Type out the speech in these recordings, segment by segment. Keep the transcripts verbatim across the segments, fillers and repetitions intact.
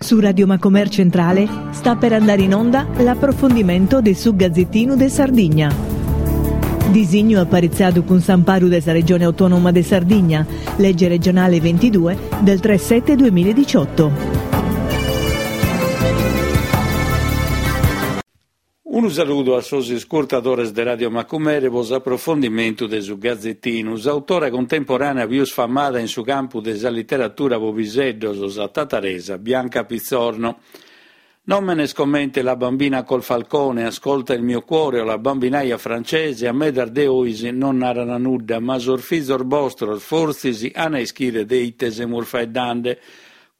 Su Radio Macomer Centrale sta per andare in onda l'approfondimento de su Gazzettinu de Sardigna. Disignu aparitzadu cun s'amparu de sa Regione Autonoma de Sardigna, legge regionale ventidue del tre sette duemiladiciotto. Unu saludu a sos iscurtadores de Radio Macumere pro s'aprofondimentu de su Gazzettinu. S'autora contemporanea pius famada in su campu de sa literatura pro piseddos, sa tataresa Bianca Pitzorno. Nòmenes comente La bambina col falcone, Ascolta il mio cuore o La bambinaia francese a medas de 'ois non naran nudda, ma sos fizos bostros fortzis an a ischire de ite semus faeddande.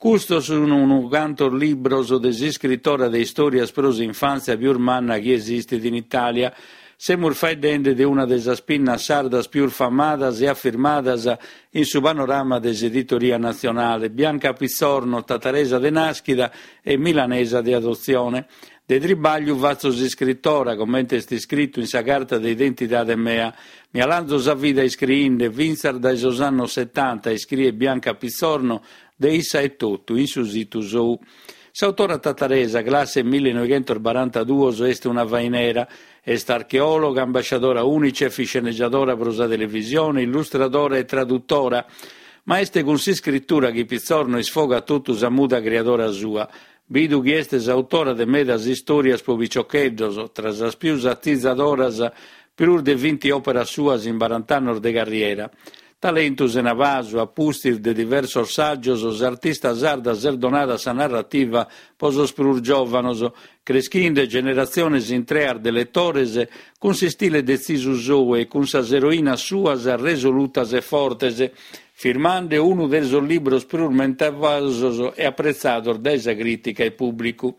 Custos sun unu cantos libros de s'iscritora de istòrias pro s'infàntzia pius manna chi esistit in Itàlia. Semus faeddende de una de sas pinnas sardas pius famadas e afirmadas in su panorama de s'editoria natzionale, Bianca Pitzorno, tataresa de nàschida e milanesa de adotzione. De tribàgliu fatzo s'iscritora, comente est iscritu in sa carta de identidade mea. Mi 'alanzo sa vida iscriinde, fintzas dae sos annos setanta, iscriet Bianca Pitzorno de issa etotu in su situ sou. S'autora tataresa, classe millinoighentosbarantaduos, est una fainera. Est archeòloga, ambasciadora Unicef, iscenegiadora pro sa televisione, illustradora e tradutora. Ma est cun s'iscritura chi Pitzorno isfogat totu sa muda criadora sua. Bidu chi est s'autora de medas istòrias pro piciocheddos, tra sas pius atizadoras, prus de vinti òperas suas in barant'annos de carriera. Talentu sena pasu, a pustis de diversos sàgios, s'artista sarda s'est donada a sa narrativa pro sos prus giòvanos, creschinde generatziones intreas de letores cun s'istile detzisu sou e cun sas eroinas suas resolutas e fortes, firmande unu de sos libros prus mentovados e apretzados dae sa crìtica e pùblicu.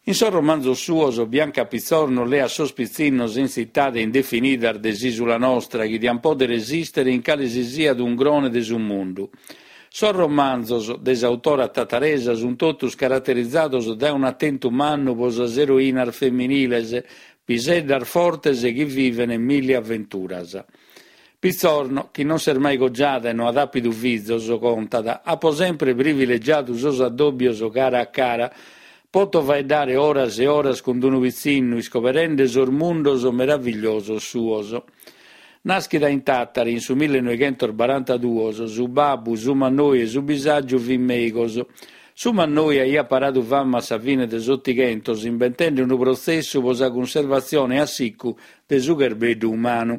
In sos romanzos suos, Bianca Pitzorno leat sos pitzinnos in tzitade indefinidas de s'ìsula nostra chi diant pòdere esìstere in cale si siat ungrone de su mundu. Sos romanzos de s'autora tataresa sunt totus caraterizados dae un'atentu mannu pro sas eroinas feminiles, piseddas fortes chi vivent milli aventuras. Pitzorno, chi non s'est mai cogiada e no at àpidu fizos, contat, Apo sempre privilegiadu sos addòbios cara a cara. Poto faeddare oras e oras cun unu pitzinnu, iscoberende sos mundos meravigliosos suos. Nàschida in Tàtari in su millenoighentosbarantaduos, su babbu, su mannoi e su bisàgiu fin mèigos. Su mannoi aiat paradu fama a sa fine de s'Otighentos imbentende unu protzessu pro sa cunservatzione a sicu de su cherbeddu umanu.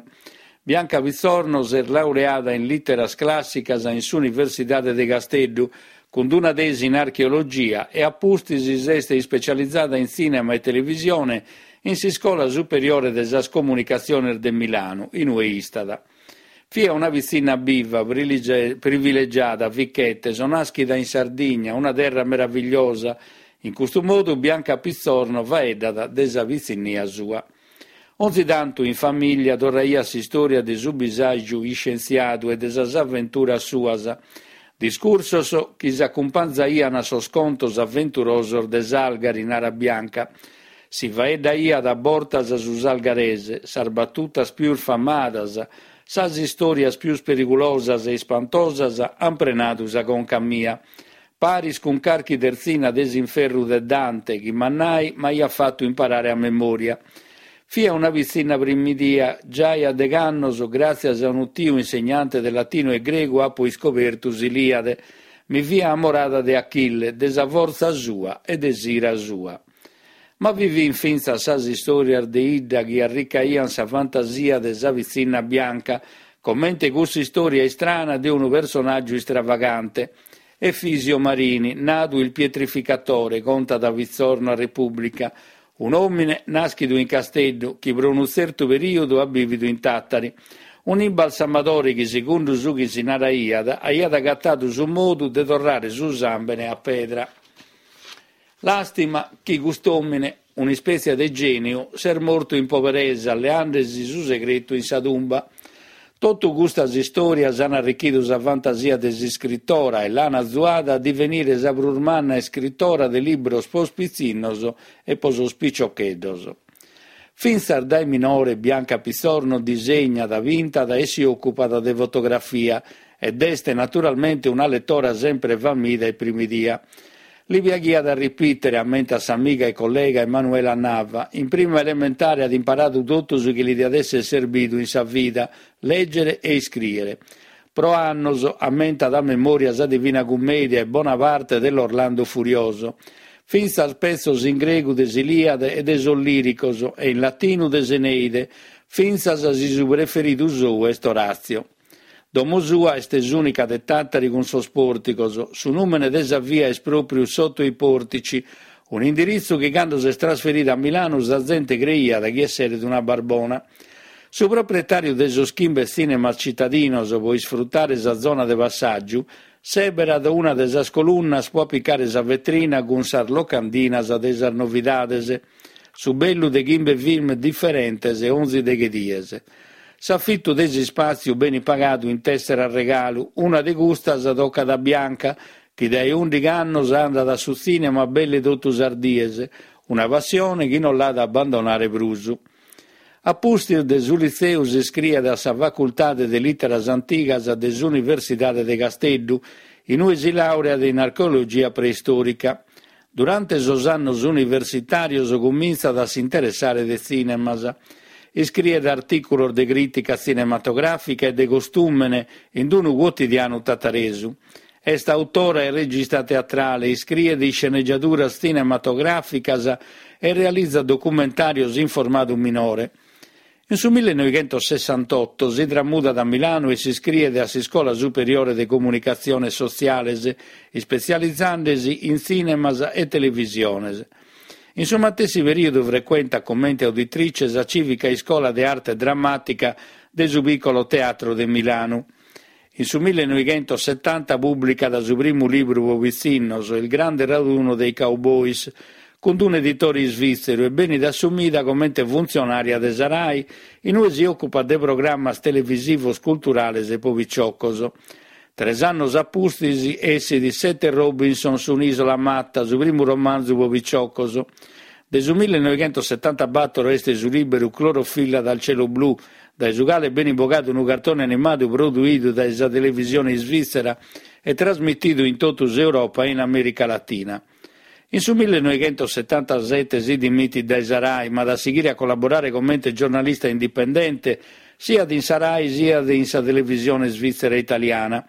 Bianca Pitzorno s'est laureada in lìteras clàssicas in s'Universidade de Casteddu, cun una tesi in archeologia e a pustis s'est ispecializada in tzìnema e televisione in s'Iscola Superiore de sas Comunicatziones de Milanu, in ue istat. Fia una pitzinna biva, privilegiada, fichete, so nàschida in Sardigna, una terra meravigliosa. In custu modu Bianca Pitzorno faeddat de sa pitzinnia sua. Onzi tantu in famìllia torraiat s'istòria de su bisàgiu iscientziadu e de sas aventuras suas, discursos chi s'acumpanzaian a sos contos aventurosos de Salgari, narat Bianca. Si faeddaiat a bortas su salgarese, sas batutas pius famadas, sas istòrias pius perigulosas e ispantosas an prenadu sa conca mia. Paris cun carchi tertzina de s'inferru de Dante, chi mannai m'aiat fatu imparare a memòria. Fia una pitzinna primidia, giai a degh'annos, gràtzias a unu tiu insegnante de latinu e gregu apo iscobertu s'Ilìade. Mi fia amorada de Achille, de sa fortza sua e de s'ira sua. Ma bi fin fintzas sas istòrias de 'idda chi arricaian sa fantasia de sa pitzinna Bianca, comente cuss'istòria istrana de unu personàgiu istravagante. Efisio Marini, nadu il pietrificatore, contat Pitzorno a Repubblica, un'òmine nàschidu in Casteddu chi pro unu tzertu perìodu at bìvidu in Tàtari. Un'imbalsamadore chi, segundu su chi si naraiat, aiat agatadu su modu de torrare su sàmbene a pedra. Làstima chi cust'òmine, un'ispètzia de gèniu, s'est mortu in poberesa, leande-si su segretu in sa tumba. Totu custas istòrias an arrichidu sa fantasia de s'iscritora e l'an azuada a divenire sa prus manna iscritora de libros pros pitzinnos e pro sos piciocheddos. Fintzas dae minore Bianca Pitzorno disegnat, pintat e si òcupat de fotografia ed est naturalmente una letora sempre famida e primidia. Li piaghiat a ripìtere, ammentat s'amiga e collega Emanuela Nava. In prima elementare at imparadu totu su chi li diat èssere serbidu in sa vida, lègere e iscrìere. Pro annos ammentat a memòria sa Divina Cummèdia e bona parte de l'Orlando Furioso. Fintzas petzos in gregu de s'Ilìade e de sos Lìricos e in latinu de s'Eneide, fintzas si su preferidu sou est Oràtzio. Domo sua est s'ùnica de Tàtari cun sos pòrticos. Su nùmene de sa via est pròpriu Sotto i Portici, un'indiritzu chi cando s'est trasferida a Milanu sa zente creiat chi esseret una barbona. Su proprietàriu de sos chimbe tzìnemas citadinos pro isfrutare sa zona de passàgiu sèberat una de sas colunnas pro apicare sa vetrina cun sas locandinas de sas novidades. Su bellu de chimbe film diferentes onzi deghe dies. S'afitu de s'ispàtziu benit pagadu in tèssera regalu, una de custas tocat a Bianca, chi dae ùndighi annos andat a su tzìnema belle totu sas dies, una passione chi non l'at a abbandonare prus. A pustis de su litzeu s'iscriet a sa Facultade de Lìteras Antigas de s'Universidade de Casteddu, in ue si làureat in archeologia preistòrica. Durante sos annos universitàrios cumintzat a s'interessare de tzìnemas. Iscriet artìculos de crìtica tzinematogràfica e de costùmene in unu cuotidianu tataresu. Est autora e regista teatrale, iscriet iscenegiaduras tzinematogràficas e realizat documentàrios in formadu minore. In su millenoighentosessantotto si tramudat a Milanu e s'iscriet a s'Iscola Superiore de Comunicatziones Sotziales, ispetzializende-si in tzìnemas e televisiones. In su matessi perìodu frecuentat comente auditrice sa Cìvica Iscola de Arte Drammàtica de su Piccolo Teatro de Milanu. In su millenoighentosetanta pùblicat su primu libru pro pitzinnos, Il grande raduno dei cowboys, cun un'editore isvìtzeru e benit assumida comente funtzionària de sa Rai, in ue si òcupat de programmas televisivos culturales pro piciocos. Tres annos a pustis essit Sette Robinson su un'isola matta, su primu romanzu pro piciocos. De su millenoighentosetantabattor est su lìberu Clorofilla dal cielo blu, dae su cale benit bogadu unu cartone animadu produidu dae sa televisione isvìtzera e trasmitidu in totu s'Europa e in Amèrica Latina. In su millenoighentosetantasete si dimitit dae sa Rai, ma at a sighire a collaborare comente giornalista indipendente siat in sa Rai siat in sa televisione svizzera italiana.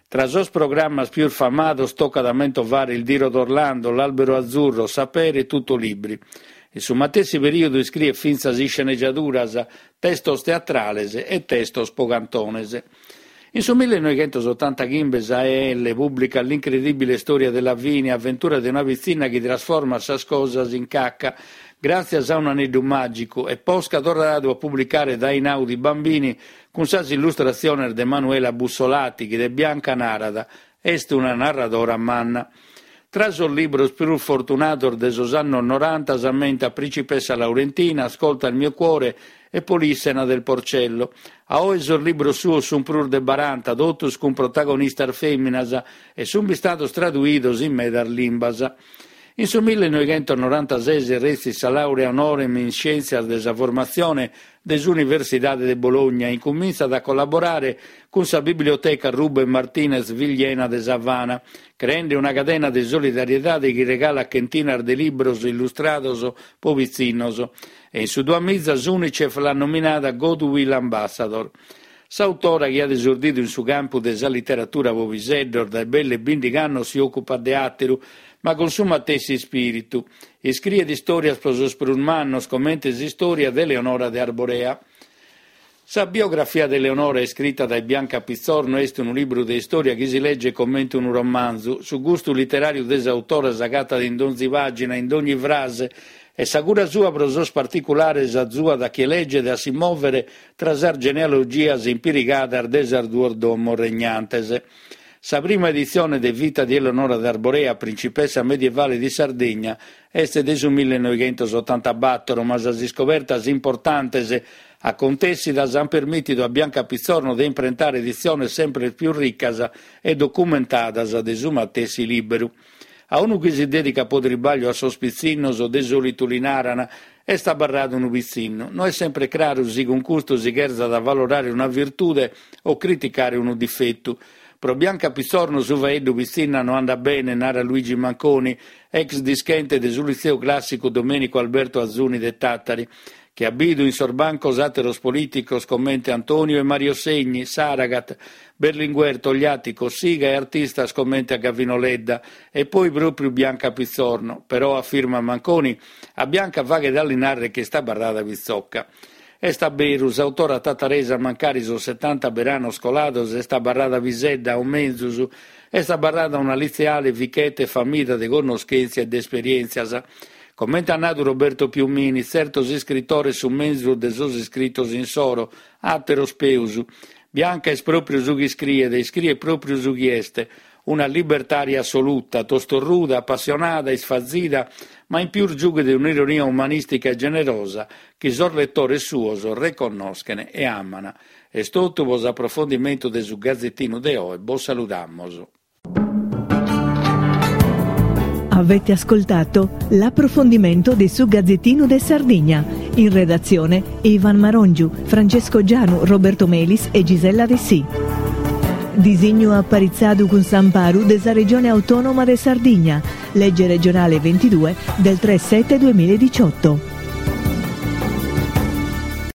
Tra sos programmas pius famados tocat a mentovare Il Diro d'Orlando, L'Albero Azzurro, Sapere e Tutto Libri. In su matessi perìodu iscriet fintzas iscenegiaduras, testos teatrales e testos pro cantones. In su millenoighentosotantachimbe sa E L pùblicat L'incredibile storia di Lavinia, avventura de una pitzinna chi trasformat sas cosas in caca gràtzias a un'aneddu màgicu e posca torradu a publicare dae Einaudi Bambini cun sas illustratziones de Manuela Bussolati chi de Bianca narat est una narradora manna. Tra sos libros prus fortunados de sos annos noranta s'ammentat Principessa Laurentina, Ascolta il mio cuore e Polissena del Porcello. A oe sos libros suos sunt prus de baranta, totus cun protagonistas fèminas e sunt bistados traduidos in medas limbas. In su millenoighentonorantases retzit sa làurea honorem in Scièntzias de sa Formatzione de s'Universidade de Bologna e incumintzat a collaborare cun sa Biblioteca Ruben Martínez Villena de S'Avana, creende una cadena de solidariedade chi regalat chentinas de libros illustrados pro pitzinnos. E in su duamiza s'Unicef l'at nominada Goodwill Ambassador. S'autora, chi at esordidu in su campu de sa literatura pro piseddos dae belle bìndighi annos si òcupat de àteru, ma cun su matessi ispìritu. Iscriet istòrias pro sos prus mannos, comente s'istòria de Eleonora de Arborea. Sa biografia de Eleonora, iscrita dae Bianca Pitzorno, est unu libru de istòria chi si leget comente unu romanzu. Su gustu literàriu de s'autora s'agatat in donzi pàgina, in dogni frase, e sa cura sua pro sos particulares azuat a chie leget a si mòvere tra sas genealogias impirigadas de sas duas domos regnantes. Sa prima editzione de Vita di Eleonora d'Arborea, principessa medievale di Sardegna, est de su millenoighentosotantabattor, ma sas iscobertas importantes acontèssidas ant permìtidu a Bianca Pitzorno de imprentare editziones semper pius ricas e documentadas de su matessi lìberu. A unu chi si dèdicat pro tribàgliu a sos pitzinnos de sòlitu li naran est abarradu unu pitzinnu. No est sempre craru si cun custu si cherzat avalorare una virtude o criticare unu difetu. Pro Bianca Pitzorno su faeddu pitzinna no andat bene, narat Luigi Manconi, ex dischente de su Litzeu Clàssicu Domenico Alberto Azuni de Tàtari, chi at bidu in sos bancos àteros polìticos comente Antonio e Mario Segni, Saragat, Berlinguer, Togliatti, Cossiga e artistas comente a Gavino Ledda, e poi pròpriu Bianca Pitzorno. Però, afirmat Manconi, a Bianca faghet a li nàrrere chi est abarrada pitzocca. Est a beru, s'autora tataresa mancari sos setanta beranos colados est abarrada pisedda, o menzus, est abarrada una litzeale fichete e famida de connoschèntzia e de esperièntzias. Comente at nadu Roberto Piumini, tzertos iscritores sunt menzus de sos iscritos insoro, àteros peus. Bianca est pròpriu su chi iscriet e iscriet pròpriu su chi est, una libertària assoluta, tostorruda, apassionada, isfazida, ma in pius giughet un'ironia umanìstica e generosa chi sos letores suos reconnoschen e aman. Est totu pro s'aprofondimentu de su Gazetinu de oe, bos saludamos. Avete ascoltato l'approfondimento di su Gazzettino de Sardigna. In redazione Ivan Marongiu, Francesco Gianu, Roberto Melis e Gisella Dessì. Disignu aparitzadu cun s'amparu de sa Regione Autonoma de Sardigna. Legge regionale ventidue del tre sette duemiladiciotto.